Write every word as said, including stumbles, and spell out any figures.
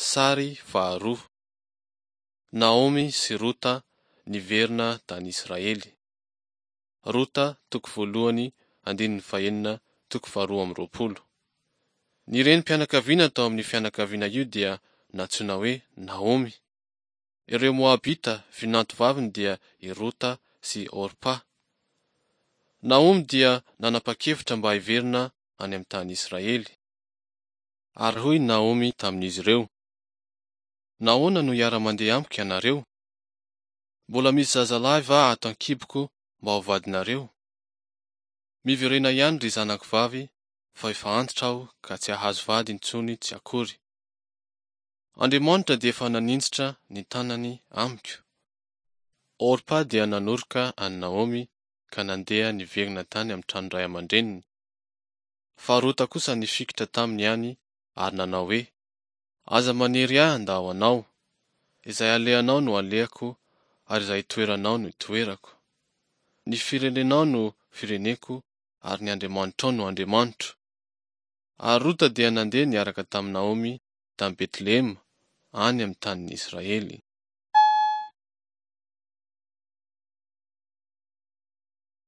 Sary faharoa. Naomy sy Rota niverina tany Israely. Rota toko voalohany andininy fahenina toko faharoa amby roapolo. Ny renim-pianakaviana tao amin'io fianakaviana io dia nantsoina hoe Naomy. Ireo Moabita vinantovaviny dia i Rota sy Orpa. Naomy dia nanapa-kevitra mba hiverina any amin'ny tany Israely. Ary hoy Naomy tamin'izy ireo: Nahoana no hiara-mandeha amiko ianareo? Mbola misy zazalahy va ato an-kiboko mba ho vadinareo? Miverena ihany ry zanako vavy fa efa antitra aho ka tsy hahazo vady intsony tsy akory. Andriamanitra dia efa naninjitra ny tanany amiko. Orpa dia nanoroka an'i Naomy ka nandeha niverina tany amin'ny tranon-dray aman-dreniny. Fa Rota kosa nifikitra taminy ihany ary nanao hoe: Aza manery ahy handao anao. Izay alehanao no alehako ary izay itoeranao no itoerako. Ny firenenao no fireneko ary ny Andriamanitrao no Andriamanitro. Ary Rota dia nandeha niaraka tamin'i Naomy tany Betlehema, any amin'ny tanin'i Israely.